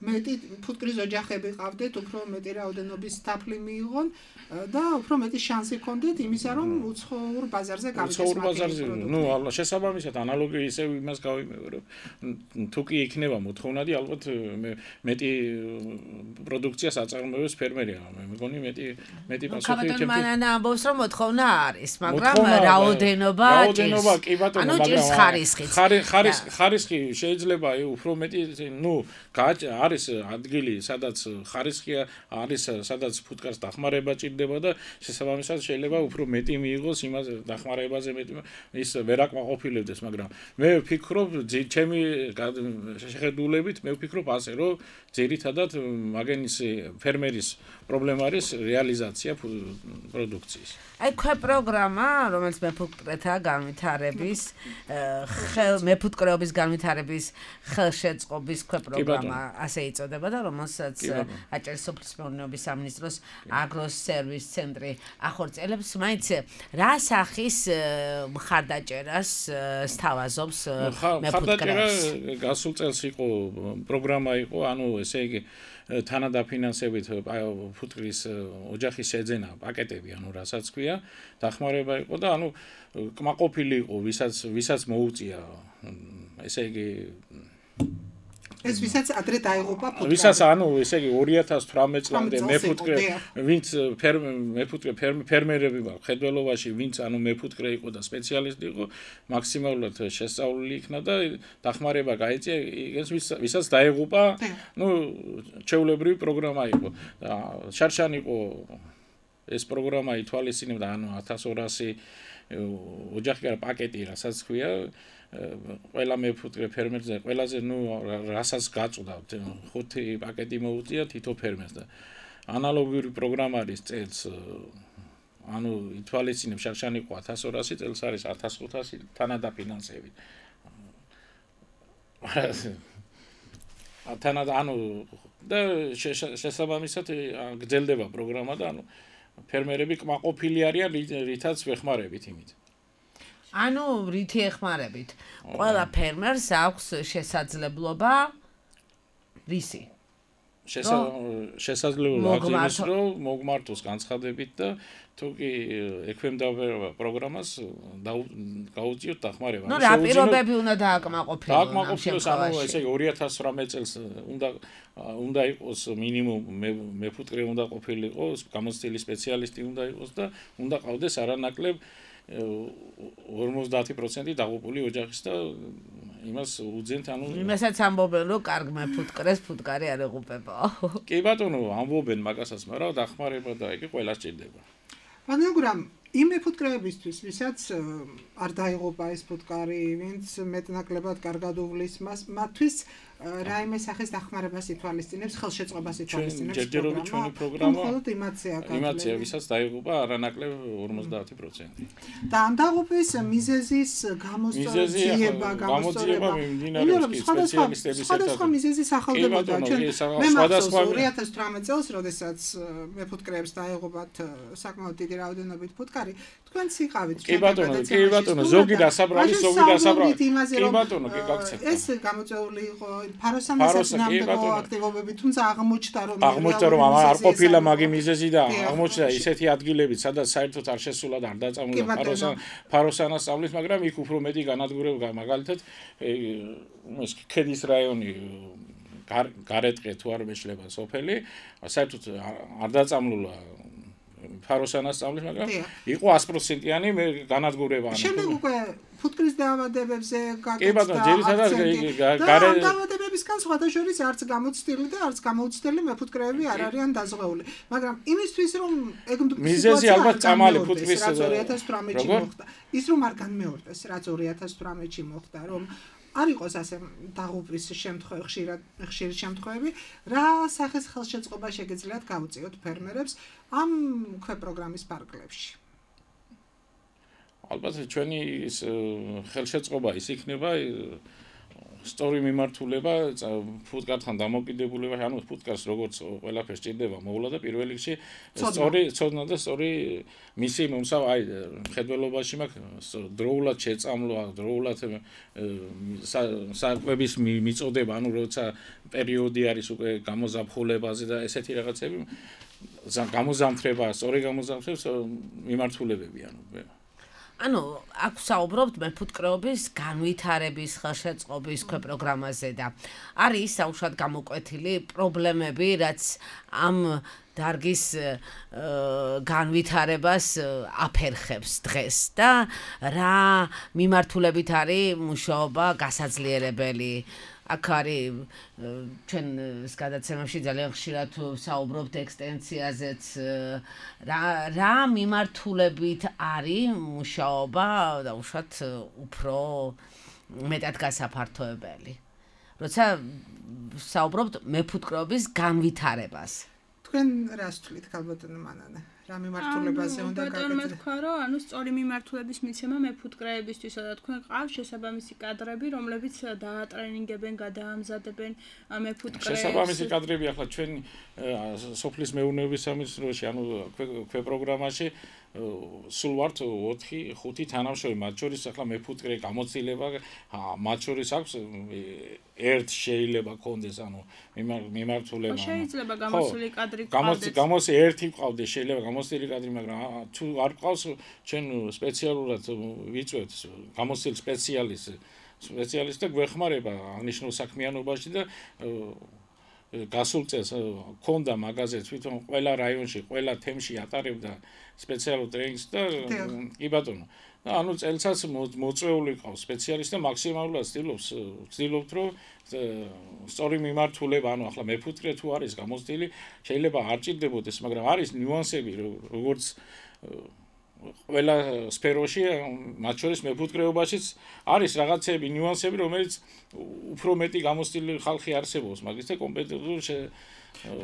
მეტი ფუტკრის ოჯახები ყავდეთ, უფრო მეტი რაოდენობის თაფლი მიიღონ და უფრო მეტი შანსი ჰქონდეთ იმისა, რომ უცხოურ ბაზარზე გავიდეს. უცხოურ ბაზარზე, ну, შესაბამისად ანალოგი ისევ იმას გავიმეორებ. თუ კი იქნება მოთხოვნადი, ალბათ მეტი პროდუქციას აწარმოებს ფერმერია. მე მგონი მეტი მეტი პასუხი იქნება. ხაბატონ მანანა ამბობს, რომ მოთხოვნა არის, მაგრამ რაოდენობა რაოდენობა კი ბატონო, მაგრამ ხარისხიც. ხარისხი ხარისხი შეიძლება უფრო მეტი, ну, არის ადგილი, სადაც ხარისხია, არის სადაც ფუტკარს დახმარება ჭირდება და შესაბამისად შეიძლება უფრო მეტი მიიღოს იმას დახმარებაზე მეტი ის ვერ აკმაყოფილებდეს, მაგრამ მე ვფიქრობ, ჩემი შეხედულებით მე ვფიქრობ ასე, რომ ძირითადად მაგენის ფერმერის პრობლემა არის რეალიზაცია პროდუქციის. აი ქვე პროგრამა, რომელიც მეფუტკრეთა განვითარების მეფუტკრეობის განვითარების ხელშეწყობის ქვე პროგრამა ასე იწოდება და რომელსაც აჭარის სოფლის მეურნეობის სამინისტროს აგროს სერვის ცენტრი ახორციელებს, მაინც რა სახის მხარდაჭერას სთავაზობს მეფუტკრეებს? გასულ წელს იყო პროგრამა იყო, ანუ ესე იგი თანადაფინანსებით ფუტკრის ოჯახის შეძენა პაკეტები, ანუ რასაც ქვია, დახმარება იყო და ანუ კმაყოფილი იყო, ვისაც ვისაც მოუწია, ესე იგი ეს ვისაც ადრე დაიღუპა ფუტკარი. ვისაც ანუ ესე იგი ორი ათას თვრამეტ წლამდე მეფუტკრე, ვინც მეფუტკრე ფერმერები ვარ, ხედველობაში, ვინც ანუ მეფუტკრე იყო და სპეციალისტი იყო, მაქსიმალურად შესწავლილი იქნა და დახმარება გაიწია, ეს ვისაც დაიღუპა, ну, ჩვეულებრივი პროგრამა იყო. შარშან იყო ეს პროგრამა ითვალისწინებდა, ანუ ათას ორასი ოჯახი არა პაკეტი, რასაც ქვია, ყველა მეფუტკრე ფერმერზე, ყველაზე ნუ რასაც გაწვდა, ხუთი პაკეტი მოუწია თითო ფერმერს და ანალოგიური პროგრამა არის წელს, ანუ ითვალისწინებს შარშან იყო ათას ორასი, წელს არის ათას ხუთასი თანადაფინანსებით. თანად ანუ და შესაბამისად გრძელდება პროგრამა და ანუ ფერმერები კმაყოფილი არიან, რითაც ვეხმარებით იმით. ანუ რითი ეხმარებით? ყველა ფერმერს აქვს შესაძლებლობა რისი? შესაძლებლობა ის რომ მოგმართოს განცხადებით და თუ კი ექვემდებარება პროგრამას გაუწიოთ დახმარება. ნუ რა პირობები უნდა დააკმაყოფილოს? დააკმაყოფილოს, ანუ ესე იგი ორი ათას თვრამეტ წელს უნდა უნდა იყოს მინიმუმ მეფუტკრე უნდა ყოფილიყო, გამოცდილი სპეციალისტი უნდა იყოს და უნდა ყავდეს არანაკლებ ორმოცდაათი პროცენტი დაღუპული ოჯახის და იმას უძენთ, ანუ იმასაც ამბობენ, რომ კარგ მეფუტკრეს ფუტკარი არ ეღუპება. კი ბატონო, ამბობენ მაგასაც, მაგრამ დახმარება და იგი ყველას ჭირდება. მაგრამ იმ მეფუტკრეებისთვის, ვისაც არ დაიღუპა ეს ფუტკარი, ვინც მეტნაკლებად კარგად უვლის მას, მათთვის რაიმე სახის დახმარებას ითვალისწინებს, ხელშეწყობას ითვალისწინებს ჯერჯერობით ჩვენი პროგრამა. მხოლოდ იმაცია გაძლევს. იმაცია, ვისაც დაიღუპა არანაკლებ ორმოცდაათი პროცენტი. და ამ დაღუპვის მიზეზის გამოსწორება, გამოსწორება მიმდინარეობს სპეციალისტების ერთად. სხვადასხვა მიზეზი სახელდებოდა. მე მახსოვს ორი ათას თვრამეტ წელს, როდესაც მეფუტკრეებს დაიღუპათ საკმაოდ დიდი რაოდენობით ფუტკარი, თქვენ ციყავით. კი ბატონო, კი ბატონო, ზოგი დასაბრალი, ზოგი დასაბრალი. კი ბატონო, კი გაგცეთ. ეს გამოწეული იყო ფაროსანასაც ნამდვილ აქტივობები, თუმცა აღმოჩნდა რომ აღმოჩნდა რომ არ ყოფილა მაგი მიზეზი და აღმოჩნდა ისეთი ადგილები, სადაც საერთოდ არ შესულა და არ დაწამულა ფაროსან ფაროსანას სწავლის, მაგრამ იქ უფრო მეტი განადგურება, მაგალითად ეს ქედის რაიონი გარეტყე თუ არ მეშლება სოფელი, საერთოდ არ დაწამულა ფაროსანას სწავლის, მაგრამ იყო ას პროცენტიანი განადგურება. შემდეგ უკვე ფუტკრის დაავადებებზე გაკეთდა აქცენტი. ამ დაავადებებისგან სხვათა შორის არც გამოცდილი და არც გამოუცდელი მეფუტკრეები არ არიან დაზღვეული. მაგრამ იმისთვის რომ ეგ მიზეზი ალბათ წამალი ფუტკრის ორი ათას თვრამეტში მოხდა. ის რომ არ განმეორდეს, რაც ორი ათას თვრამეტში მოხდა, რომ არ იყოს ასე დაღუპვის შემთხვევები, ხშირად ხშირი შემთხვევები, რა სახის ხელშეწყობა შეგიძლიათ გაუწიოთ ფერმერებს ამ ქვე პროგრამის პარკლებში? ალბათ ჩვენი ის ხელშეწყობა ის იქნება სწორი მიმართულება ფუტკართან დამოკიდებულება, ანუ ფუტკარს როგორც ყველაფერს ჭირდება მოვლა და პირველ რიგში სწორი ცოდნა და სწორი მისი მომსავ აი მხედველობაში მაქვს დროულად შეწამლვა, დროულად საკვების მიწოდება, ანუ როცა პერიოდი არის უკვე გამოზაფხულებაზე და ესეთი რაღაცები გამოზამთრება, სწორი გამოზამთრების მიმართულებები, ანუ ანუ აქ საუბრობთ მეფუტკრეობის განვითარების ხელშეწყობის პროგრამაზე და არის საუბრად გამოკვეთილი პრობლემები, რაც ამ დარგის განვითარებას აფერხებს დღეს და რა მიმართულებით არის მუშაობა გასაძლიერებელი. აქ არის ჩვენ გადაცემებში ძალიან ხშირად საუბრობთ ექსტენსიაზეც რა რა მიმართულებით არის მუშაობა და უშუალოდ უფრო მეტად გასაფართოებელი. როცა საუბრობთ მეფუტკრეობის განვითარებას. თქვენ რას თვლით, ქალბატონო მანანა? რა მიმართულებაზე უნდა გაკეთდეს? ბატონო თქვა, რომ ანუ სწორი მიმართულების მიცემა მეფუტკრეებისთვის და თქვენ ყავს შესაბამისი კადრები, რომლებიც დაატრენინგებენ, გადაამზადებენ მეფუტკრეებს. შესაბამისი კადრები ახლა ჩვენ სოფლის მეურნეობის სამინისტროში, ანუ ქვე პროგრამაში სულ ვართ ოთხი ხუთი თანამშრომელი, მათ შორის ახლა მეფუტკრე გამოცდილება, მათ შორის აქვს ერთ შეიძლება კონდეს, ანუ მიმართულება. შეიძლება გამოსული კადრი ყავდეს. გამოსი ერთი ყავდეს, შეიძლება გამოსილი კადრი, მაგრამ თუ არ ყავს, ჩვენ სპეციალურად ვიწვევთ გამოსილ სპეციალისტს, სპეციალისტი გვეხმარება აღნიშნულ საქმიანობაში და გასულ წელს ქონდა მაღაზია თვითონ ყველა რაიონში, ყველა თემში ატარებდა სპეციალურ ტრენინგს და კი ბატონო. ანუ წელსაც მოწვეული ყავს სპეციალისტი და მაქსიმალურად ცდილობს ცდილობთ რომ სწორი მიმართულება, ანუ ახლა მეფუტკრე თუ არის გამოცდილი, შეიძლება არ ჭირდებოდეს, მაგრამ არის ნიუანსები, როგორც ყველა სფეროში, მათ შორის მეფუტკრეობაშიც არის რაღაცები, ნიუანსები, რომელიც უფრო მეტი გამოცდილი ხალხი არსებობს, მაგის და კომპეტენტური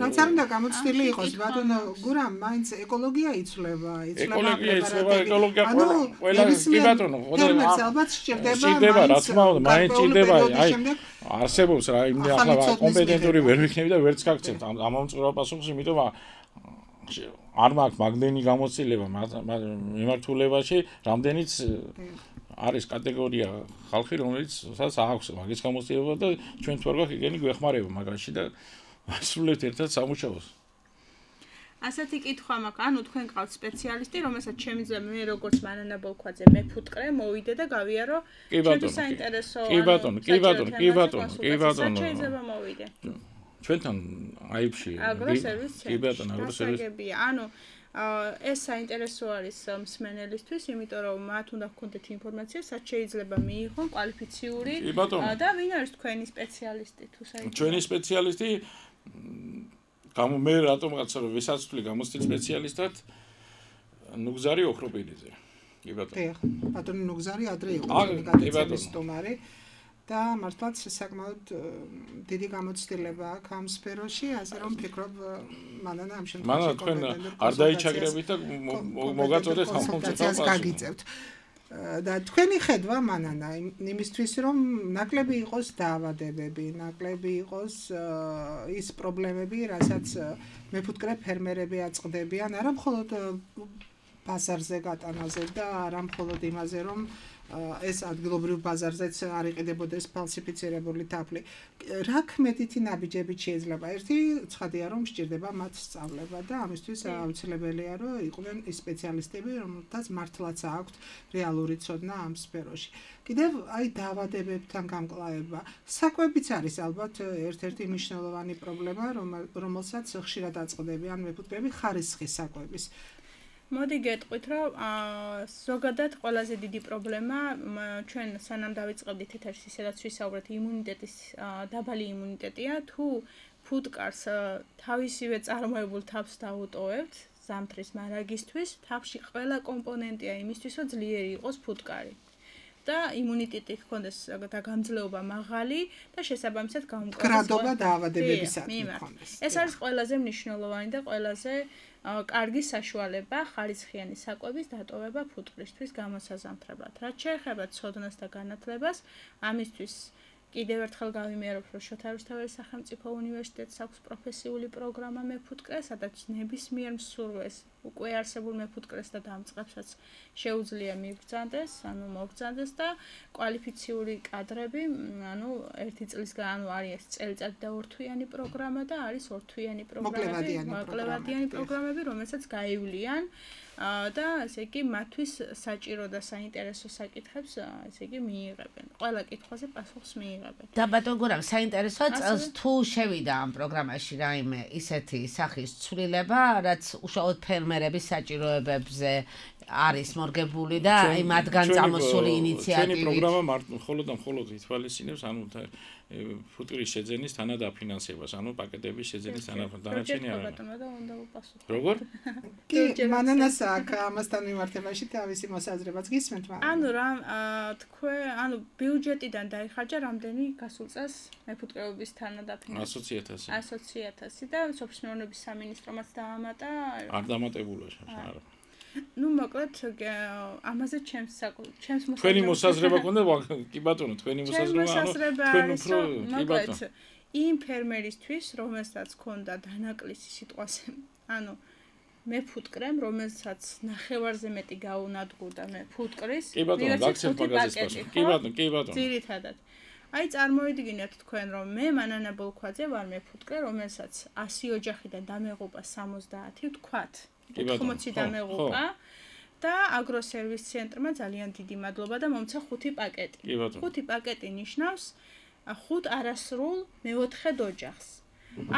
რაც არ უნდა გამოცდილი იყოს, ბატონო გურამ, მაინც ეკოლოგია იცვლება, იცვლება ეკოლოგია იცვლება, ეკოლოგია ყველა კი ბატონო, ფერმერს ალბათ სჭირდება, სჭირდება, რა თქმა უნდა, მაინც სჭირდება, აი არსებობს რა, იმდენ ახლა კომპეტენტური ვერ ვიქნები და ვერც გაგცემთ ამ ამომწყურვა პასუხს, იმიტომ არ მაქვს მაგდენი გამოცდილება მიმართულებაში, რამდენიც არის კატეგორია ხალხი, რომელიც სადაც აქვს მაგის გამოცდილება და ჩვენ თუ არ გვაქვს იგენი გვეხმარება მაგაში და ასრულებთ ერთად სამუშაოს. ასეთი კითხვა მაქვს, ანუ თქვენ ყავთ სპეციალისტი, რომელსაც შემიძლია მე როგორც მანანა ბოლქვაძე მეფუტკრე მოვიდე და გავიარო ჩემი საინტერესო. კი ბატონო, კი ბატონო, კი ბატონო, კი ბატონო. შეიძლება მოვიდე. ჩვენთან აიფში კი ბატონო, აგროსერვისი. ანუ ეს საინტერესო არის მსმენელისთვის, იმიტომ რომ მათ უნდა გქონდეთ ინფორმაცია, რაც შეიძლება მიიღონ კვალიფიციური და ვინ არის თქვენი სპეციალისტი თუ საერთოდ. ჩვენი სპეციალისტი გამო მე რატომღაც ვისაცვლი გამოცდილ სპეციალისტად ნუგზარი ოქროპილიძე. კი ბატონო. დიახ, ბატონო ნუგზარი ადრე იყო გადაცემის სტუმარი. და მართლაც საკმაოდ დიდი გამოცდილება აქვს ამ სფეროში, ასე რომ ფიქრობ მანანა ამ შემთხვევაში მანანა თქვენ არ დაიჩაგრებით და მოგაწოდეთ ამ კონცეფციას გაგიწევთ. და თქვენი ხედვა მანანა იმისთვის რომ ნაკლები იყოს დაავადებები, ნაკლები იყოს ის პრობლემები, რასაც მეფუტკრე ფერმერები აწყდებიან, არა მხოლოდ ბაზარზე გატანაზე და არა მხოლოდ იმაზე რომ ეს ადგილობრივ ბაზარზეც არ იყიდებოდეს ფალსიფიცირებული თაფლი. რა ქმედითი ნაბიჯებით შეიძლება? ერთი ცხადია რომ სჭირდება მათ სწავლება და ამისთვის აუცილებელია რომ იყვნენ ის სპეციალისტები, რომელთაც მართლაც აქვთ რეალური ცოდნა ამ სფეროში. კიდევ აი დაავადებებთან გამკლავება. საკვებიც არის ალბათ ერთ-ერთი მნიშვნელოვანი პრობლემა, რომელსაც ხშირად აწყდებიან მეფუტკრეები ხარისხის საკვების. მოდი გეტყვით, რომ ზოგადად ყველაზე დიდი პრობლემა ჩვენ სანამ დავიწყებდით ეთერში, სადაც ვისაუბრეთ იმუნიტეტის დაბალი იმუნიტეტია, თუ ფუტკარს თავისივე წარმოებულ თავს დაუტოვებთ ზამთრის მარაგისთვის, თავში ყველა კომპონენტია იმისთვის, რომ ძლიერი იყოს ფუტკარი. და იმუნიტეტი ჰქონდეს და გამძლეობა მაღალი და შესაბამისად გამკლავება. გრადობა დაავადებებისადმი ჰქონდეს. ეს არის ყველაზე მნიშვნელოვანი და ყველაზე კარგი საშუალება ხარისხიანი საკვების დატოვება ფუტკრისთვის გამოსაზამთრებლად. რაც შეეხება ცოდნას და განათლებას, ამისთვის კიდევ ერთხელ გავიმეორებ, რომ შოთა რუსთაველის სახელმწიფო უნივერსიტეტს აქვს პროფესიული პროგრამა მეფუტკრე, სადაც ნებისმიერ მსურველს, უკვე არსებულ მეფუტკრეს და დამწყებსაც შეუძლია მიბრძანდეს, ანუ მოგრძანდეს და კვალიფიციური კადრები, ანუ ერთი წლისგან, ანუ არის წელიწადი და ორთვიანი პროგრამა და არის ორთვიანი პროგრამები, მოკლევადიანი პროგრამები, რომელსაც გაივლიან და ესე იგი მათთვის საჭირო და საინტერესო საკითხებს ესე იგი მიიღებენ. ყველა კითხვაზე პასუხს მიიღებენ. და ბატონ გურამ, საინტერესოა წელს თუ შევიდა ამ პროგრამაში რაიმე ისეთი სახის ცვლილება, რაც უშუალოდ ფერმერების საჭიროებებზე არის მორგებული და აი მათგან წამოსული ინიციატივით. ჩვენი პროგრამა მხოლოდ და მხოლოდ ითვალისწინებს, ანუ ფუტკრის შეძენის თანადაფინანსებას, ანუ პაკეტების შეძენის თანადარჩენი არა. როგორ? კი, მანანას აქ ამასთან მიმართებაში თავისი მოსაზრებაც გისმენთ, მაგრამ ანუ რა თქვე, ანუ ბიუჯეტიდან დაიხარჯა რამდენი გასულ წელს მეფუტკრეობის თანადაფინანსება? ასოცი ათასი. ასოცი ათასი და სოფლის მეურნეობის სამინისტრომაც დაამატა. არ დამატებულა შეხა არა. ну მოკლედ ამაზე ჩემს ჩემს მოსაზრება თქვენი მოსაზრება გქონდა კი ბატონო თქვენი მოსაზრება ანუ თქვენ უფრო კი ბატონო იმ ფერმერისთვის რომელსაც ჰქონდა დანაკლისი სიტყვაზე ანუ მე ფუტკრემ რომელსაც ნახევარზე მეტი გაუნადგურდა მე ფუტკრის კი ბატონო გაქცევ მაგაზის პასუხი კი ბატონო კი ბატონო ძირითადად აი წარმოვიდგინეთ თქვენ რომ მე მანანა ბოლქვაძე ვარ მე ფუტკრე რომელსაც ასი ოჯახიდან დამეღუპა სამოცდაათი ვთქვათ ოთხმოცი დამეღუპა და აგროსერვის ცენტრმა ძალიან დიდი მადლობა და მომცა ხუთი პაკეტი. ხუთი პაკეტი ნიშნავს ხუთ არასრულ მეოთხედ ოჯახს.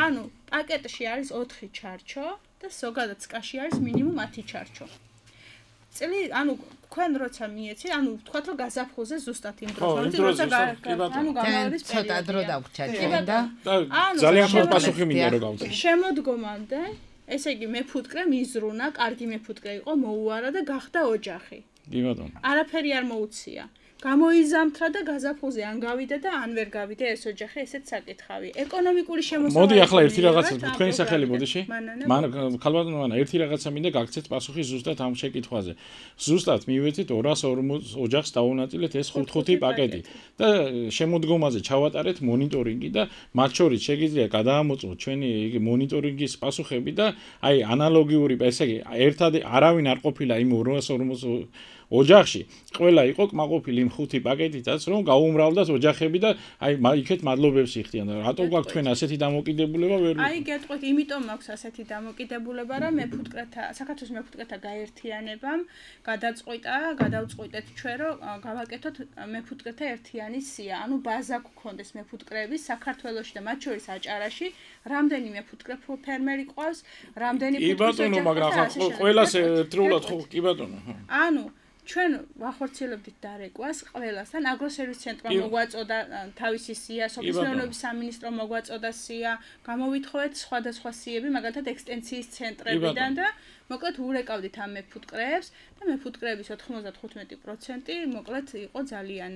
ანუ პაკეტში არის ოთხი ჩარჩო და ზოგადად სკაში არის მინიმუმ ათი ჩარჩო. წელი ანუ თქვენ როცა მიეცი, ანუ ვთქვათ რომ გაზაფხულზე ზუსტად იმ დროს, როცა ანუ გამავლის პერიოდი. ცოტა დრო დაგვჭირდა და ძალიან ხო პასუხი მინდა რომ გავწე. შემოდგომამდე ესე იგი მეფუტკრე მიზრუნა, კარგი მეფუტკრე იყო, მოუარა და გახდა ოჯახი. კი ბატონო. არაფერი არ მოუცია. გამოიზამთრა და გაზაფხულზე ან გავიდა და ან ვერ გავიდა ეს ოჯახი, ესეც საკითხავი. ეკონომიკური შემოსავალი. მოდი ახლა ერთი რაღაცა თქვენი სახელი მოდიში. მან ხალბატონო მანა ერთი რაღაცა მინდა გაგცეთ პასუხი ზუსტად ამ შეკითხვაზე. ზუსტად მივეცით ორას ორმოც ოჯახს დაუნაწილეთ ეს ხუთ-ხუთი პაკეტი და შემოდგომაზე ჩავატარეთ მონიტორინგი და მათ შორის შეგიძლია გადაამოწმოთ ჩვენი იგი მონიტორინგის პასუხები და აი ანალოგიური ესე იგი ერთად არავინ არ ყოფილა იმ ორას ორმოც ოჯახში ყველა იყო კმაყოფილი იმ ხუთი პაკეტითაც რომ გაუმრავლდათ ოჯახები და აი იქეთ მადლობებს იხდიან და რატო გაქვთ თქვენ ასეთი დამოკიდებულება ვერ აი გეტყვით იმიტომ მაქვს ასეთი დამოკიდებულება რომ მეფუტკრეთა საქართველოს მეფუტკრეთა გაერთიანებამ გადაწყვიტა გადავწყვიტეთ ჩვენ რომ გავაკეთოთ მეფუტკრეთა ერთიანი სია ანუ ბაზა გქონდეს მეფუტკრეების საქართველოში და მათ შორის აჭარაში რამდენი მეფუტკრე ფერმერი ყავს რამდენი ფუტკრის ოჯახი კი ბატონო მაგრამ ახლა ყველას ერთდროულად ხო კი ბატონო ანუ ჩვენ ვახორციელებდით დარეკვას ყველასთან აგროსერვის ცენტრმა მოგვაწოდა თავისი სია, სოფლის მეურნეობის სამინისტრომ მოგვაწოდა სია, გამოვითხოვეთ სხვადასხვა სიები, მაგალითად ექსტენციის ცენტრებიდან და მოკლედ ურეკავდით ამ მეფუტკრეებს და მეფუტკრეების ოთხმოცდახუთი პროცენტი მოკლედ იყო ძალიან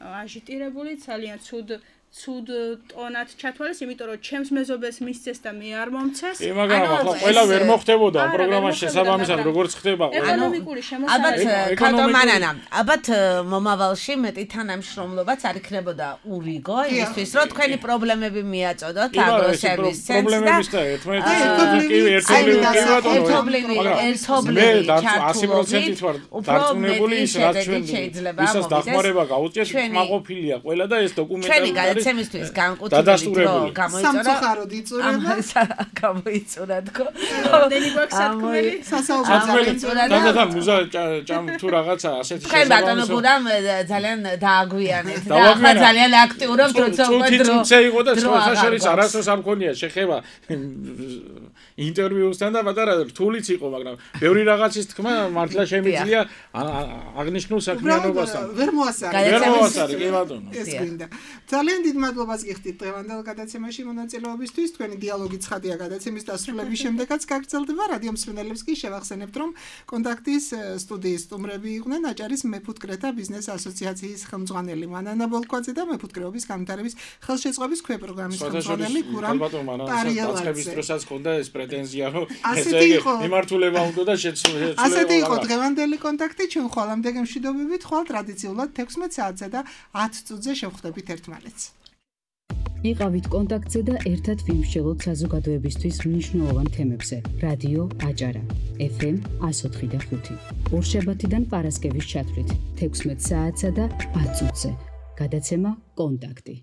აჟიტირებული, ძალიან ცუდ ცუდ ტონად ჩათვალეს, იმიტომ რომ ჩემს მეზობელს მისცეს და მე არ მომცეს. კი, მაგრამ ახლა ყველა ვერ მოხდებოდა ამ პროგრამაში შესაბამისად, როგორც ხდება. ეკონომიკური შემოსავალი. ალბათ კატომანანა, ალბათ მომავალში მეტი თანამშრომლობაც არ იქნებოდა ურიგო, იმისთვის რომ თქვენი პრობლემები მიაწოდოთ აგროსერვის ცენტრს და ერთობლივი ერთობლივი ასი პროცენტით ვარ დარწმუნებული ის რაც ჩვენ ისაც დახმარება გაუწიეთ, მაყოფილია ყველა და ეს დოკუმენტები ცემისთვის განკუთვნილი დრო გამოიწურა. სამწუხაროდ იწურება. გამოიწურა თქო. რამდენი გვაქვს სათქმელი? სასაუბრო. და და მუზა ჭამ თუ რაღაცა ასეთი შესაძლოა. ხე ბატონო გურამ ძალიან დააგვიანეთ და ახლა ძალიან აქტიურობთ როცა უკვე დრო. თუმცა იყო და სხვა შორის არასდროს არ მქონია შეხება ინტერვიუსთან და პატარა რთულიც იყო, მაგრამ ბევრი რაღაცის თქმა მართლა შემიძლია აღნიშნულ საქმიანობასთან. ვერ მოასწარი. ვერ მოასწარი, კი ბატონო. ეს გვინდა. ძალიან დიდ მადლობას გიხდით დღევანდელ გადაცემაში მონაწილეობისთვის. თქვენი დიალოგი ცხადია გადაცემის დასრულების შემდეგაც გაგრძელდება. რადიო მსმენელებს კი შევახსენებთ, რომ კონტაქტის სტუდიის სტუმრები იყვნენ აჭარის მეფუტკრეთა ბიზნეს ასოციაციის ხელმძღვანელი მანანა ბოლქვაძე და მეფუტკრეობის განვითარების ხელშეწყობის ქვეპროგრამის ხელმძღვანელი გურამ პარიელაძე. დროსაც ხონდა ეს პრეტენზია, რომ ესე იგი მიმართულება უნდა და შეცვლილება. ასეთი იყო დღევანდელი კონტაქტი. ჩვენ ხვალამდე გემშვიდობებით, ხვალ ტრადიციულად თექვსმეტ საათზე და ათ წუთზე შევხვდებით ერთმანეთს. იყავით კონტაქტზე და ერთად ვიმსჯელოთ საზოგადოებისთვის მნიშვნელოვან თემებზე. რადიო აჭარა, ეფ ემ εκατო ოთხი და ხუთი. ორშაბათიდან პარასკევის ჩათვლით, თექვსმეტ საათსა და ათ წუთზე. გადაცემა კონტაქტი.